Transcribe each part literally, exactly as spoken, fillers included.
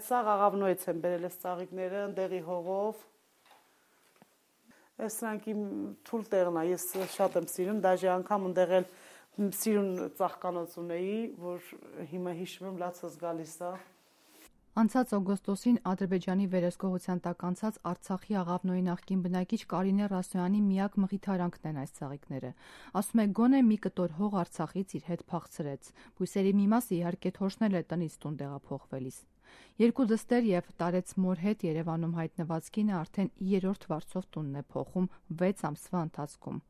սաղ աղավնոյից եմ բերել ես ծաղիկները, ընդեղի հողով։ Այս սրանք իմ թույլ տեղն է, ես շատ եմ սիրում, դաժե անգամ ընդեղ էլ սիրուն ծաղկանոց ունեի, որ հիմա հիշում եմ լացս գալիս է։ Անցած օգոստոսին Ադրբեջանի վերահսկողության տակ անցած Արցախի Աղավնոյի նախկին բնակիչ Կարինե Ռասոյանի միակ մխիթարանքն են այս ծաղիկները։ Ասում է գոնե մի կտոր հող Արցախից իր հետ փախցրեց։ Բույսերի մի մասը իհարկե թոշնել է տնից տուն տեղափոխվելիս։ Երկու դստեր եւ տարեց մոր հետ Երևանում հայտնված կինը արդեն երրորդ վարձով տունն է փոխում վեց ամսվա ընթացքում։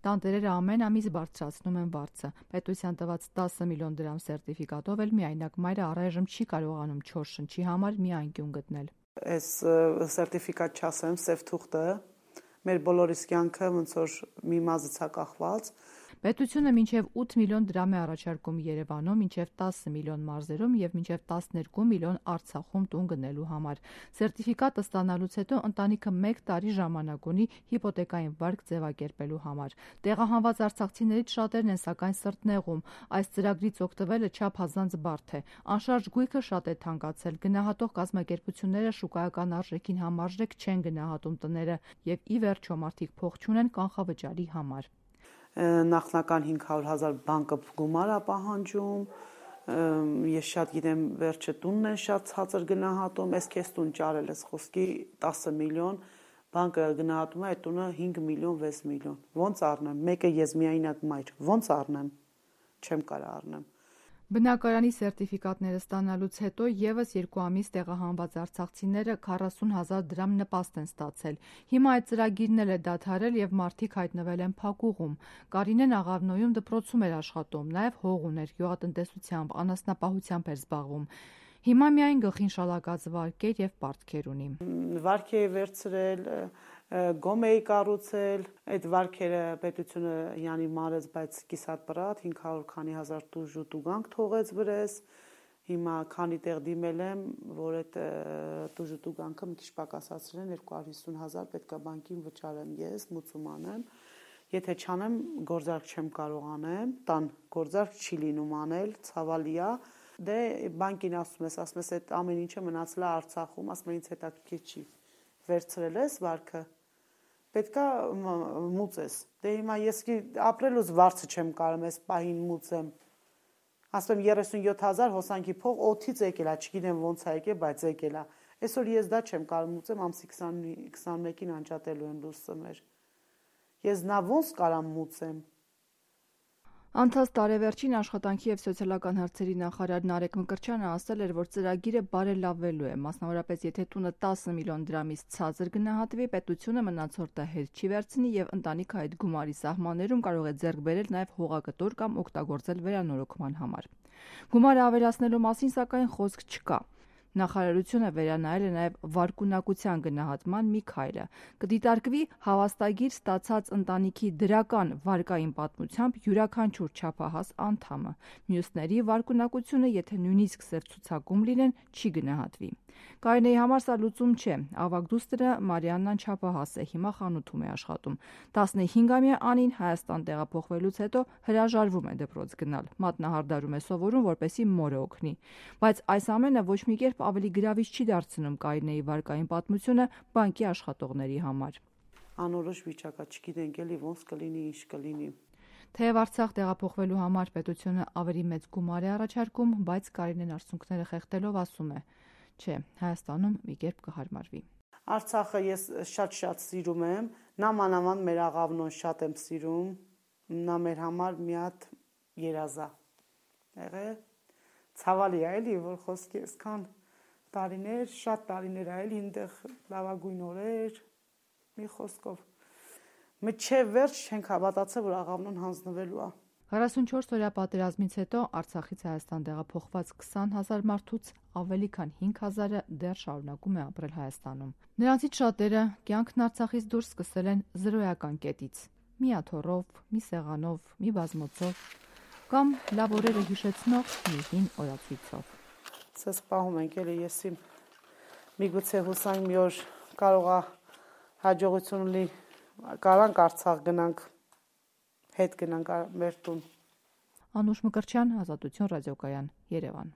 Տանտերերը ամեն ամիս բարձրացնում են վարձը։ Պետության տված տասը միլիոն դրամ սերտիֆիկատով էլ միայնակ մայրը առայժմ չի կարողանում չոր շնչի համար մի անկյուն գտնել։ Այս սերտիֆիկատ չասեմ, սև թուղթը մեր բոլորիս կյանքը ոնց որ մի մազից է կախված։ Պետությունը մինչև ութ միլիոն դրամ է առաջարկում Երևանում, մինչև տասը միլիոն մարզերում եւ մինչև տասներկու միլիոն Արցախում տուն գնելու համար։ Սերտիֆիկատը ստանալուց հետո ընտանիքը մեկ տարի ժամանակ ունի հիպոթեկային վարկ ձևակերպելու համար։ Տեղահանված արցախցիներից շատերն են սակայն սրտնեղում։ Այս ծրագրից օգտվելը չափազանց բարդ է։ Անշարժ գույքը շատ է թանկացել։ Գնահատող կազմակերպությունները շուկայական արժեքին համարժեք չեն գնահատում տները եւ ի վերջո մարդիկ փող չունեն կանխավճարի համար։ Նախնական հինգ հարյուր հազար բանկը գումար է պահանջում, ես շատ գիտեմ վերջը տունն են շատ ցածր գնահատում, ես քեզ տուն ճարել ես խոսքի տասը միլիոն, բանկը գնահատում է այդ տունը հինգ միլիոն վեց միլիոն, ոնց առնեմ, մեկը ես միայնակ մայր, ոնց առնեմ, չեմ կարող առնեմ։ Բնակարանի սերտիֆիկատները ստանալուց հետո եւս երկու ամիս տեղահանված արցախցիները քառասուն հազար դրամ նպաստ են ստացել։ Հիմա այդ ծրագիրն էլ է դադարել եւ մարդիկ հայտնվել են փակուղում։ Կարինեն Աղավնոյում դպրոցում էր աշխատում, նաեւ հող ուներ, գյուղատնտեսությամբ, անասնապահությամբ էր զբաղվում։ Հիմա միայն գլխին շալակած վարկ էր եւ պարտքեր ունի։ Վարկ էի վերցրել, գոմ էի կառուցել, այդ վարքերը պետությունը յանի մարեց, բայց կիսատ պրատ հինգ հարյուր քանի հազար տուժ ու տուգանք թողեց վրես։ Հիմա քանի տեղ դիմել եմ, որ այդ տուժ ու տուգանքը մի քիչ պակասացրել են, երկու հարյուր հիսուն հազար պետք է բանկին վճարեմ ես, մուծում անեմ։ Եթե չանեմ, գործարք չեմ կարող անեմ, տան գործարք չի լինում անել, ցավալի է։ Դե բանկին ասում ես, ասում ես այդ ամեն ինչը մնացել է Արցախում, ասում են ինձ հետաքրքիր չի։ Վերցրել ես վարքը, պետքա մուծես։ Դե հիմա ես ապրելուց վարձը չեմ կարող այս պահին մուծեմ։ Ասում եմ երեսունյոթ հազար հոսանքի փող օդից եկել է, չգիտեմ ոնց է եկել, բայց եկել է։ Այսօր ես դա չեմ կարող մուծեմ, ամսի քսանմեկին անջատելու են լույսը մեր։ Ես նա ոնց կարամ մուծեմ։ Անցած տարեվերջին աշխատանքի եւ սոցիալական հարցերի նախարար Նարեկ Մկրտչյանը ասել էր, որ ծրագիրը բարելավվելու է, մասնավորապես եթե տունը տասը միլիոն դրամից ցածր գնահատվի, պետությունը մնացորդը հետ չի վերցնի եւ ընտանիքը այդ գումարի սահմաններում կարող է ձեռք բերել նաեւ հողակտոր կամ օգտագործել վերանորոգման համար։ Գումարը ավելացնելու մասին սակայն խոսք չկա։ Նախարարությունը վերանայել է նաև վարկունակության գնահատման մի քայլը։ Կդիտարկվի հավաստագիր ստացած ընտանիքի դրական վարկային պատմությամբ յուրաքանչյուր չափահաս անդամը։ Մյուսների վարկունակությունը, եթե նույնիսկ սև ցուցակում լինեն, չի գնահատվի։ Կարինեի համար սա լուծում չէ։ Ավագ դուստրը Մարիաննան չափահաս է, հիմա խանութում է աշխատում։ տասնհինգամյա Անին Հայաստան տեղափոխվելուց հետո հրաժարվում է դպրոց գնալ։ Մատնահարդարում է սովորում, որպեսզի մորը օգնի։ Բայց այս ամենը ոչ մի կերպ ավելի գրավիչ չի դարձնում Կարինեի վարկային պատմությունը բանկի աշխատողների համար։ Անորոշ վիճակա, չգիտենք էլի ոնց կլինի, ինչ կլինի։ Թեև Արցախ տեղափոխվելու համար պետությունը ավելի մեծ գումար է առաջարկում, բայց Կարինեն արցունքները խեղդելով ասում է. Չէ, Հայաստանում մի կերպ կհարմարվի։ Արցախը ես շատ-շատ սիրում եմ, նա մանավանդ մեր Աղավնոն շատ եմ սիրում, նա մեր համար մի հատ երազ է եղել։ Ցավալի է էլի, որ խոսքի այսքան տարիներ, շատ տարիներ է էլի, այնտեղ լավագույն օրեր, մի խոսքով։ Մինչև վերջ չենք հավատացել, որ Աղավնոն հանձնվելու է։ քառասունչորս օրյա պատերազմից հետո Արցախից Հայաստան տեղափոխված քսան հազար մարդուց ավելի քան հինգ հազարը դեռ շարունակում է ապրել Հայաստանում։ Նրանցից շատերը կյանքն Արցախից դուրս սկսել են զրոյական կետից՝ մի աթոռով, մի սեղանով, մի բազմոցով կամ լավ օրերը հիշեցնող մի հին օրացույցով։ Սես պահում ենք էլի ես իմ միգուցե հուսանք մի օր կարող է հաջողություն ունի, կարանք Արցախ գնանք, հետ գնանք մեր տուն։ Անուշ Մկրտչյան, Ազատություն ռադիոկայան, Երևան։